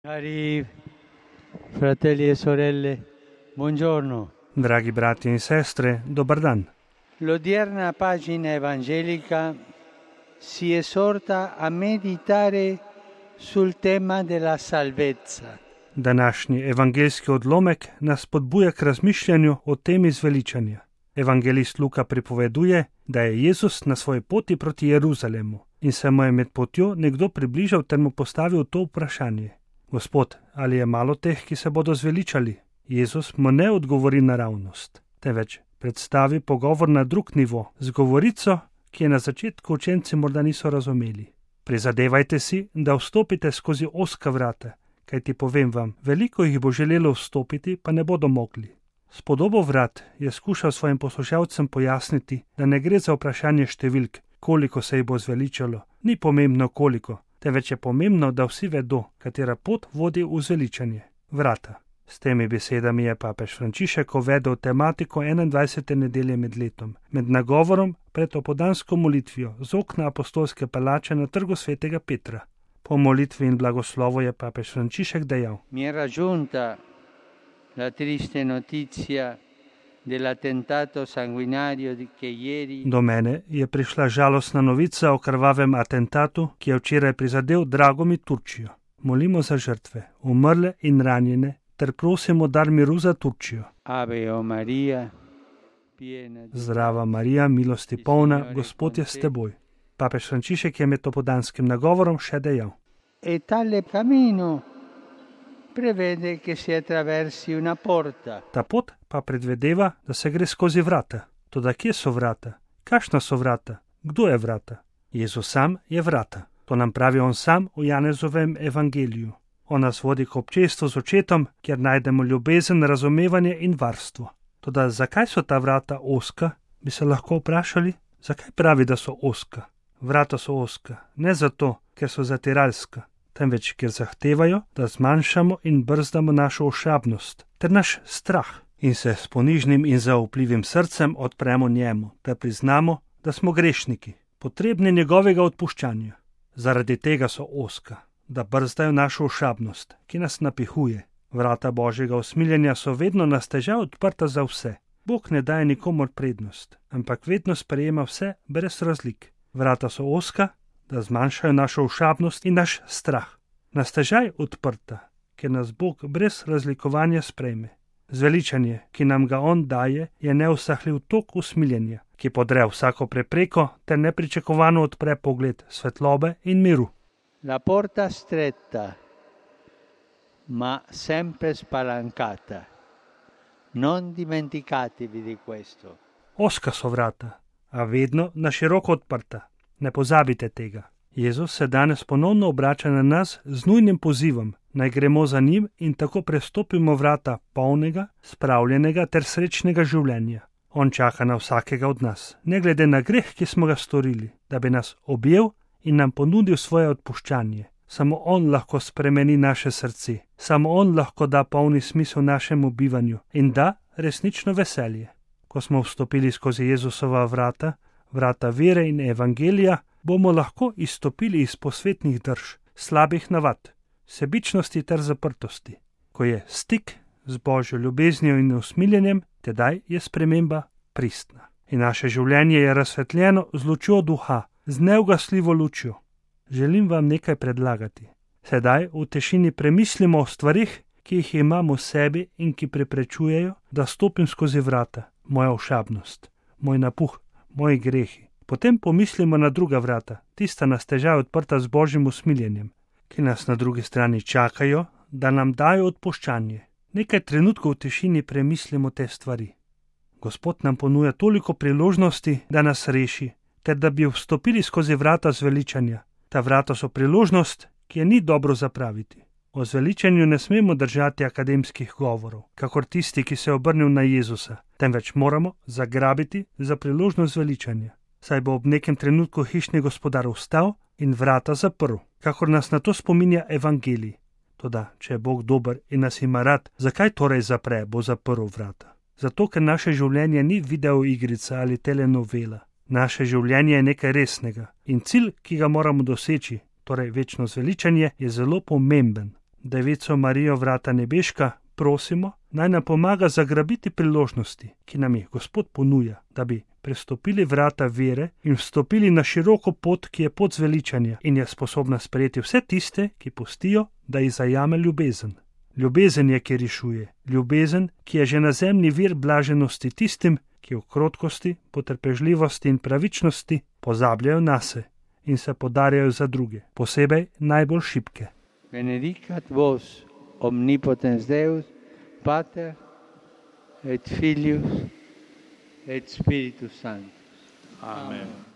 Cari fratelli e sorelle, buongiorno. Dragi brati in sestre, dobar dan. L'odierna pagina evangelica si esorta a meditare sul tema della salvezza. Današnji evangeljski odlomek nas podbuja k razmišljanju o temi zveličanja. Evangelist Luka pripoveduje, da je Jezus na svoji poti proti Jeruzalemu in se mu je med potjo nekdo približal ter mu postavil to vprašanje. Gospod, ali je malo teh, ki se bodo zveličali? Jezus mu ne odgovori naravnost, temveč predstavi pogovor na drug nivo z govorico, ki je na začetku učenci morda niso razumeli. Prizadevajte si, da vstopite skozi ozka vrata, kajti povem vam, veliko jih bo želelo vstopiti, pa ne bodo mogli. S podobo vrat je skušal svojim poslušalcem pojasniti, da ne gre za vprašanje številk, koliko se jih bo zveličalo, ni pomembno koliko, temveč je pomembno, da vsi vedo, katera pot vodi v zveličanje. Vrata. S temi besedami je papež Frančišek uvedel tematiko 21. nedelje med letom, med nagovorom pred opoldansko molitvijo z okna apostolske palače na trgu svetega Petra. Po molitvi in blagoslovu je papež Frančišek dejal: Mi è raggiunta la triste notizia dell'attentato sanguinario che ieri Do mene je prišla žalostna novica o krvavem atentatu, ki je včeraj prizadel drago mi Turčijo. Molimo za žrtve, umrle in ranjene, ter prosimo dar miru za Turčijo. Ave o Maria, piena di Zdrava Marija, milosti polna, Gospod je s teboj. Papež Frančišek je med opoldanskim nagovorom še dejal: E tale cammino prevede che si attraversi una porta. Ta pot pa predvedeva, da se gre skozi vrata. Toda kje so vrata? Kakšna so vrata? Kdo je vrata? Jezus sam je vrata. To nam pravi on sam v Janezovem evangeliju. On nas vodi k občestvu z očetom, kjer najdemo ljubezen, razumevanje in varstvo. Toda zakaj so ta vrata ozka, bi se lahko vprašali? Zakaj pravi, da so ozka? Vrata so ozka, ne zato, ker so zatiralska, temveč ker zahtevajo, da zmanjšamo in brzdamo našo ošabnost ter naš strah in se s ponižnim in zaupljivim srcem odpremo njemu, da priznamo, da smo grešniki, potrebni njegovega odpuščanja. Zaradi tega so ozka, da brzdajo našo ošabnost, ki nas napihuje. Vrata Božjega usmiljenja so vedno na stežaj odprta za vse. Bog ne daje nikomur prednost, ampak vedno sprejema vse brez razlik. Vrata so ozka, da zmanjšajo našo ošabnost in naš strah. Na stežaj odprta, ker nas Bog brez razlikovanja sprejme. Zveličanje, ki nam ga on daje, je neusahljiv tok usmiljenja, ki podre vsako prepreko ter nepričakovano odpre pogled svetlobe in miru. La porta stretta, ma sempre spalancata. Non dimenticatevi di questo. Ozka so vrata, a vedno na široko odprta. Ne pozabite tega. Jezus se danes ponovno obrača na nas z nujnim pozivom, naj gremo za njim in tako prestopimo vrata polnega, spravljenega ter srečnega življenja. On čaka na vsakega od nas, ne glede na greh, ki smo ga storili, da bi nas objel in nam ponudil svoje odpuščanje. Samo on lahko spremeni naše srce, samo on lahko da polni smisel našemu bivanju in da resnično veselje. Ko smo vstopili skozi Jezusova vrata, vrata vere in evangelija, bomo lahko izstopili iz posvetnih drž, slabih navad, sebičnosti ter zaprtosti. Ko je stik z Božjo ljubeznijo in usmiljenjem, tedaj je sprememba pristna. In naše življenje je razsvetljeno z lučjo duha, z neugasljivo lučjo. Želim vam nekaj predlagati. Sedaj v tišini premislimo o stvarih, ki jih imam v sebi in ki preprečujejo, da stopim skozi vrata, moja ošabnost, moj napuh, moji grehi. Potem pomislimo na druga vrata, tista na stežaj odprta z Božjim usmiljenjem, ki nas na drugi strani čakajo, da nam dajo odpuščanje. Nekaj trenutkov v tišini premislimo te stvari. Gospod nam ponuja toliko priložnosti, da nas reši, ter da bi vstopili skozi vrata zveličanja. Ta vrata so priložnost, ki je ni dobro zapraviti. O zveličanju ne smemo držati akademskih govorov, kakor tisti, ki se je obrnil na Jezusa, temveč moramo zagrabiti za priložnost zveličanja. Saj bo ob nekem trenutku hišni gospodar vstal in vrata zaprl, kakor nas na to spominja evangelij. Toda, če je Bog dober in nas ima rad, zakaj torej zapre, bo zaprl vrata? Zato, ker naše življenje ni videoigrica ali telenovela. Naše življenje je nekaj resnega in cilj, ki ga moramo doseči, torej večno zveličanje, je zelo pomemben. Devico Marijo vrata nebeška, prosimo, naj nam pomaga zagrabiti priložnosti, ki nam jih Gospod ponuja, da bi prestopili vrata vere in vstopili na široko pot, ki je pot zveličanja in je sposobna sprejeti vse tiste, ki pustijo, da jih zajame ljubezen. Ljubezen je, ki rešuje, ljubezen, ki je že na zemlji vir blaženosti tistim, ki v krotkosti, potrpežljivosti in pravičnosti pozabljajo nase in se podarjajo za druge, posebej najbolj šibke. Benedicat vos omnipotens Deus, Pater et Filius et Spiritus Sanctus. Amen.